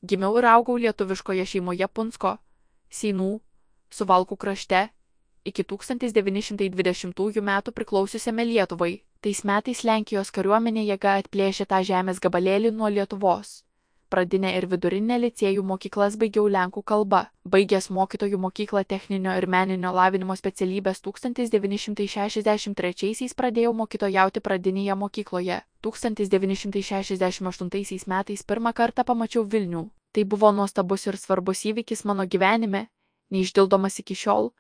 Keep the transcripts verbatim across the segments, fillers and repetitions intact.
Gimiau ir augau lietuviškoje šeimoje Punsko, Seinų, Suvalkų krašte, iki tūkstantis devyni šimtai dvidešimtųjų metų priklausiusiame Lietuvai. Tais metais Lenkijos kariuomenė jėga atplėšė tą žemės gabalėlį nuo Lietuvos. Pradinę ir vidurinę licėjų mokyklas baigiau lenkų kalba. Baigęs mokytojų mokyklą techninio ir meninio lavinimo specialybės tūkstantis devyni šimtai šešiasdešimt trečiaisiais pradėjau mokytojauti pradinėje mokykloje. tūkstantis devyni šimtai šešiasdešimt aštuntaisiais metais pirmą kartą pamačiau Vilnių. Tai buvo nuostabus ir svarbus įvykis mano gyvenime, neišdildomas iki šiol,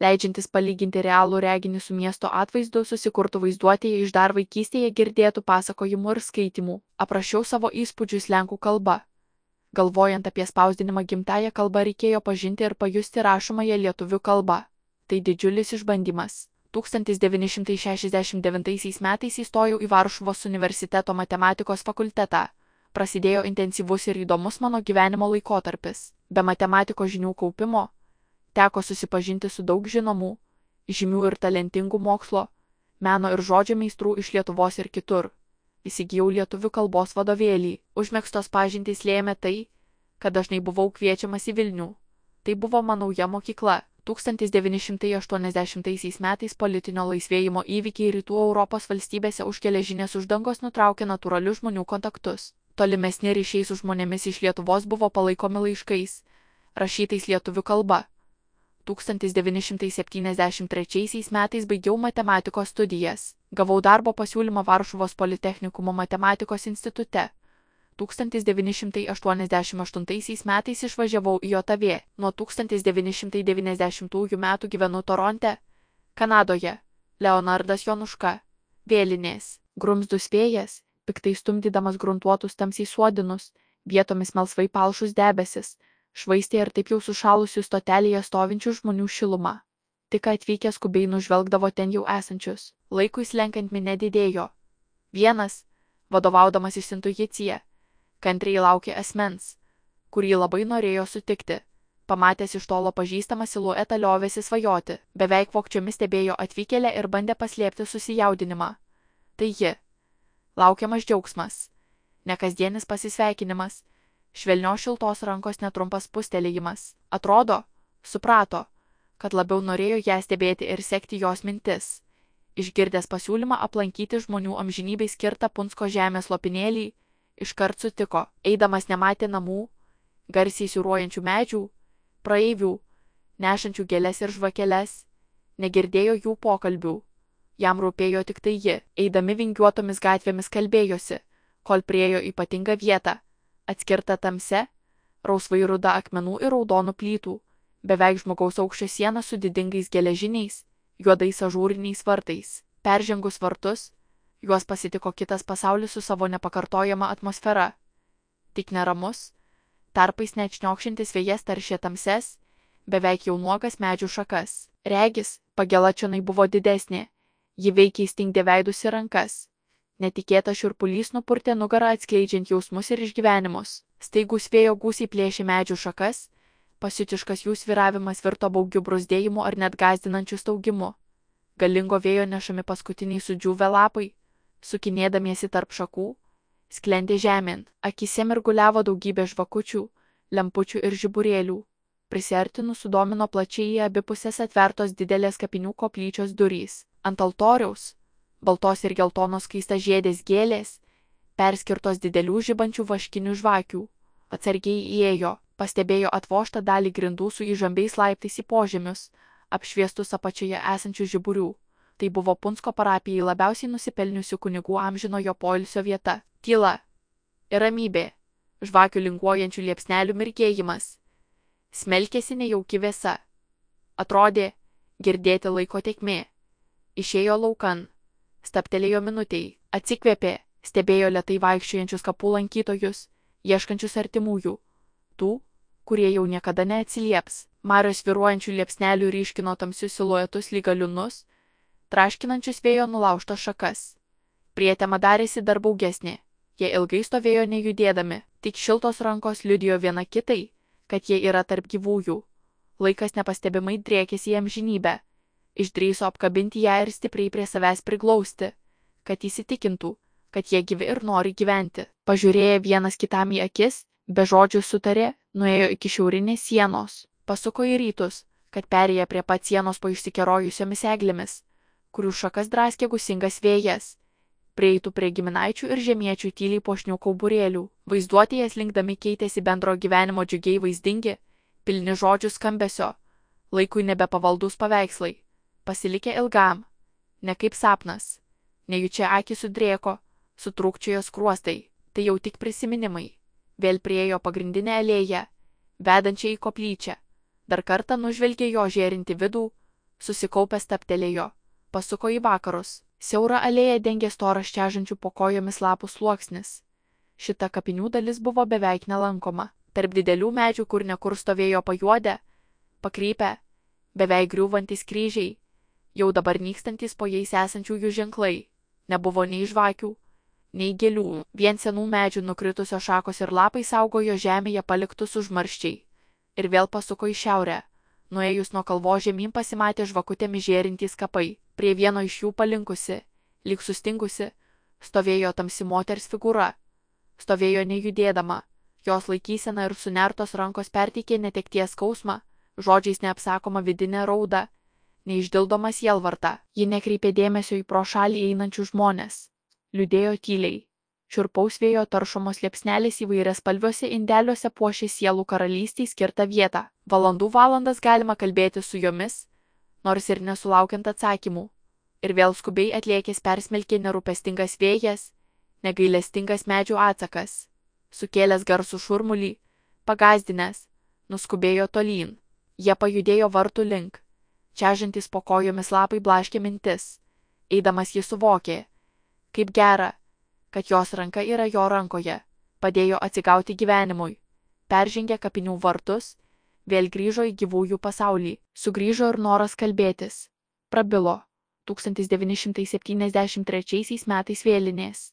leidžiantis palyginti realų reginį su miesto atvaizdu susikurtų vaizduotėje iš dar vaikystėje girdėtų pasakojimų ir skaitimų. Aprašiau savo įspūdžius lenkų kalba. Galvojant apie spausdinimą gimtąją kalbą reikėjo pažinti ir pajusti rašomąją lietuvių kalbą. Tai didžiulis išbandymas. tūkstantis devyni šimtai šešiasdešimt devintaisiais metais įstojau į Varšuvos universiteto matematikos fakultetą. Prasidėjo intensyvus ir įdomus mano gyvenimo laikotarpis. Be matematikos žinių kaupimo teko susipažinti su daug žinomų, žymių ir talentingų mokslo, meno ir žodžio meistrų iš Lietuvos ir kitur. Įsigijau lietuvių kalbos vadovėlį. Užmegztos pažintys lėmė tai, kad dažnai buvau kviečiamas į Vilnių. Tai buvo mano nauja mokykla. tūkstantis devyni šimtai aštuoniasdešimtaisiais metais politinio laisvėjimo įvykiai rytų Europos valstybėse už geležinės uždangos nutraukė natūralius žmonių kontaktus. Tolimesni ryšiai su žmonėmis iš Lietuvos buvo palaikomi laiškais, rašytais lietuvių kalba. tūkstantis devyni šimtai septyniasdešimt trečiaisiais metais baigiau matematikos studijas. Gavau darbo pasiūlymą Varšuvos politechnikumo matematikos institute. tūkstantis devyni šimtai aštuoniasdešimt aštuntaisiais metais išvažiavau į JAV. Nuo tūkstantis devyni šimtai devyniasdešimtųjų metų gyvenu Toronte, Kanadoje. Leonardas Jonuška. Vėlinės. Grumzdus vėjas, piktai stumdydamas gruntuotus tamsiai suodinus, vietomis melsvai palšus debesis, švaistė ir taip jau sušalusių stotelėje stovinčių žmonių šilumą. Tik atvykę skubiai nužvelgdavo ten jau esančius. Laikui slenkant minė didėjo. Vienas, vadovaudamasis intuicija, kantriai laukė asmens, kurį labai norėjo sutikti. Pamatęs iš tolo pažįstamą siluetą liovėsi svajoti, beveik vogčiomis stebėjo atvykėlę ir bandė paslėpti susijaudinimą. Tai ji. Laukiamas džiaugsmas. Nekasdienis pasisveikinimas. Švelnios šiltos rankos netrumpas pustelėjimas. Atrodo, suprato, kad labiau norėjo ją stebėti ir sekti jos mintis. Išgirdęs pasiūlymą aplankyti žmonių amžinybei skirtą Punsko žemės lopinėlį, iškart sutiko. Eidamas nematė namų, garsiai siūruojančių medžių, praeivių, nešančių gėles ir žvakeles, negirdėjo jų pokalbių. Jam rūpėjo tik tai ji. Eidami vingiuotomis gatvėmis kalbėjosi, kol priejo ypatingą vietą, atskirtą tamse, rausvai ruda akmenų ir raudonų plytų, beveik žmogaus aukščio siena su didingais geležiniais, juodais ažūriniais vartais. Peržengus vartus, juos pasitiko kitas pasaulis su savo nepakartojama atmosfera. Tik neramus, tarpais net šniokšintis vėjas taršė tamses, beveik jau nuogas medžių šakas. Regis, pagela čionai buvo didesnė, ji veikiai stingdė veidus ir rankas. Netikėtas šiurpulys nupurtė nugarą atskleidžiant jausmus ir išgyvenimus. Staigus vėjo gūsiai plėšė medžių šakas, pasiutiškas jų sviravimas virto baugiu bruzdėjimu ar net gąsdinančiu staugimu. Galingo vėjo nešami paskutiniai sudžiūvę lapai, sukinėdamiesi tarp šakų, sklendė žemėn. Akyse mirguliavo daugybė žvakučių, lempučių ir žiburėlių. Prisiartinus sudomino plačiai į abi pusės atvertos didelės kapinių koplyčios durys. Ant altoriaus baltos ir geltonos skaistažiedės gėlės, perskirtos didelių žibančių vaškinių žvakių. Atsargiai įėjo, pastebėjo atvožtą dalį grindų su įžambiais laiptais į požemius, apšviestus apačioje esančių žiburių. Tai buvo Punsko parapijai labiausiai nusipelniusių kunigų amžinojo poilsio vieta. Tyla ir ramybė, žvakių linguojančių liepsnelių mirgėjimas. Smelkėsi nejauki vėsa. Atrodė, girdėti laiko tėkmė. Išėjo laukan. Staptelėjo minutei, atsikvėpė, stebėjo lėtai vaikščiojančius kapų lankytojus, ieškančius artimųjų. Tų, kurie jau niekada neatsilieps. Marios svyruojančių liepsnelių ryškino tamsius siluetus lyg galiūnus, traškinančius vėjo nulaužtas šakas. Prietema darėsi dar baugesnė. Jie ilgai stovėjo nejudėdami, tik šiltos rankos liudijo viena kitai, kad jie yra tarp gyvųjų. Laikas nepastebimai driekėsi į amžinybę. Išdrįso apkabinti ją ir stipriai prie savęs priglausti, kad įsitikintų, kad jie gyvi ir nori gyventi. Pažiūrėję vienas kitam į akis, Be žodžių sutarė, nuėjo iki šiaurinės sienos, pasuko į rytus, kad perėję prie pat sienos po išsikerojusiomis eglėmis, kurių šakas draskė gūsingas vėjas, prieitų prie giminaičių ir žemiečių tyliai puošnių kauburėlių. Vaizduotėje slinkdami keitėsi bendro gyvenimo džiugiai vaizdingi, pilni žodžių skambesio, laikui nebepavaldus paveikslai, pasilikę ilgam, ne kaip sapnas, nejučia akį sudrėko, sutrūkčiojo skruostai, tai jau tik prisiminimai. Vėl priėjo pagrindinę alėją, vedančią į koplyčią, dar kartą nužvelgė jo žėrinti vidų, susikaupęs taptelėjo, pasuko į vakarus. Siaurą alėją dengė storas čežančių po kojomis lapų sluoksnis. Šita kapinių dalis buvo beveik nelankoma. Tarp didelių medžių kur nekur stovėjo pajuodę, pakrypę, beveik griūvantys kryžiai, jau dabar nykstantis po jais esančiųjų ženklai. Nebuvo nei žvakių, nei gėlių, vien senų medžių nukritusios šakos ir lapai saugojo žemėje paliktus užmarščiai. Ir vėl pasuko į šiaurę. Nuėjus nuo kalvos žemyn pasimatė žvakutėmis žėrintys kapai. Prie vieno iš jų palinkusi, lyg sustingusi, stovėjo tamsi moters figūra. Stovėjo nejudėdama, jos laikysena ir sunertos rankos perteikė netekties skausmą, žodžiais neapsakoma vidinė rauda, neišdildomą sielvartą. Ji nekreipė dėmesio į pro šalį einančių žmonės. Liūdėjo tyliai. Šiurpaus vėjo taršomos liepsnelės įvairias spalviuose indeliuose puošė sielų karalystei skirtą vietą. Valandų valandas galima kalbėti su jomis, nors ir nesulaukiant atsakymų. Ir vėl skubiai atlėkęs persmelkė nerūpestingas vėjas, negailestingas medžių atsakas. Sukėlęs garsų šurmulį, pagazdinęs, nuskubėjo tolyn. Jie pajudėjo vartų link. Čežantys po kojomis lapai blaškė mintis. Eidamas jis suvokė, kaip gera, kad jos ranka yra jo rankoje. Padėjo atsigauti gyvenimui. Peržengė kapinių vartus, vėl grįžo į gyvųjų pasaulį. Sugrįžo ir noras kalbėtis. Prabilo. tūkstantis devyni šimtai septyniasdešimt trečiaisiais metais vėlinės.